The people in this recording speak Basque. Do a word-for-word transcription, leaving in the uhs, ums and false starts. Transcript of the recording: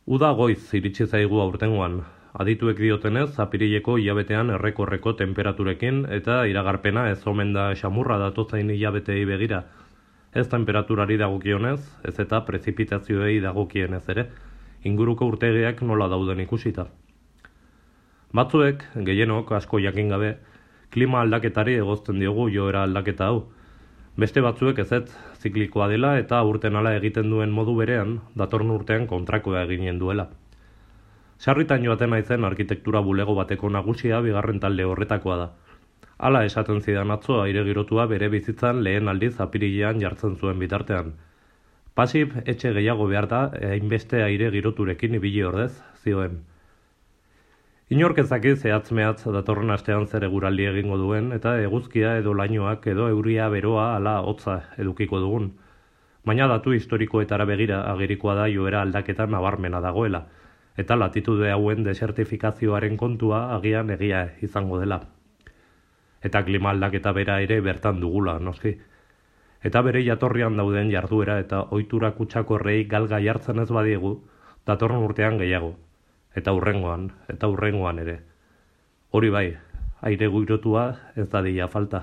Uda goiz iritsi zaigu aurtengoan. Adituek diotenez, apirileko hilabetean errekorreko temperaturekin eta iragarpena ez omen da xamurra datozain hilabetei begira. Ez temperaturari dagokionez, ez eta prezipitazioei dagokienez ere, inguruko urtegiak nola dauden ikusita. Batzuek, gehienok asko jakin gabe, klima aldaketari egozten diogu joera aldaketa hau. Beste batzuek ezetz ziklikoa dela eta urtenala egiten duen modu berean, datorren urtean kontrakoa eginen duela. Sarritan joaten naizen arkitektura bulego bateko nagusia bigarren talde horretakoa da. Hala esaten zidan atzo aire girotua bere bizitzan lehen aldiz apirilean jartzen zuen bitartean. Pasip etxe gehiago behar da, hainbeste aire giroturekin ibili ordez, zioen. Inork ezaki zehatz mehatz datorren astean zer eguraldi egingo duen eta eguzkia edo lainoak edo euria beroa ala hotza edukiko dugun. Baina datu historikoetara begira agerikoa da joera aldaketa nabarmena dagoela, eta latitude hauen desertifikazioaren kontua agian egia izango dela. Eta klima aldaketa bera ere bertan dugula, noski. Eta bere jatorrian dauden jarduera eta ohitura kutsakorrei galga jartzen ez badiegu, datorren urtean gehiago. Eta hurrengoan, eta hurrengoan ere. Hori bai, aire girotua ez dadila falta.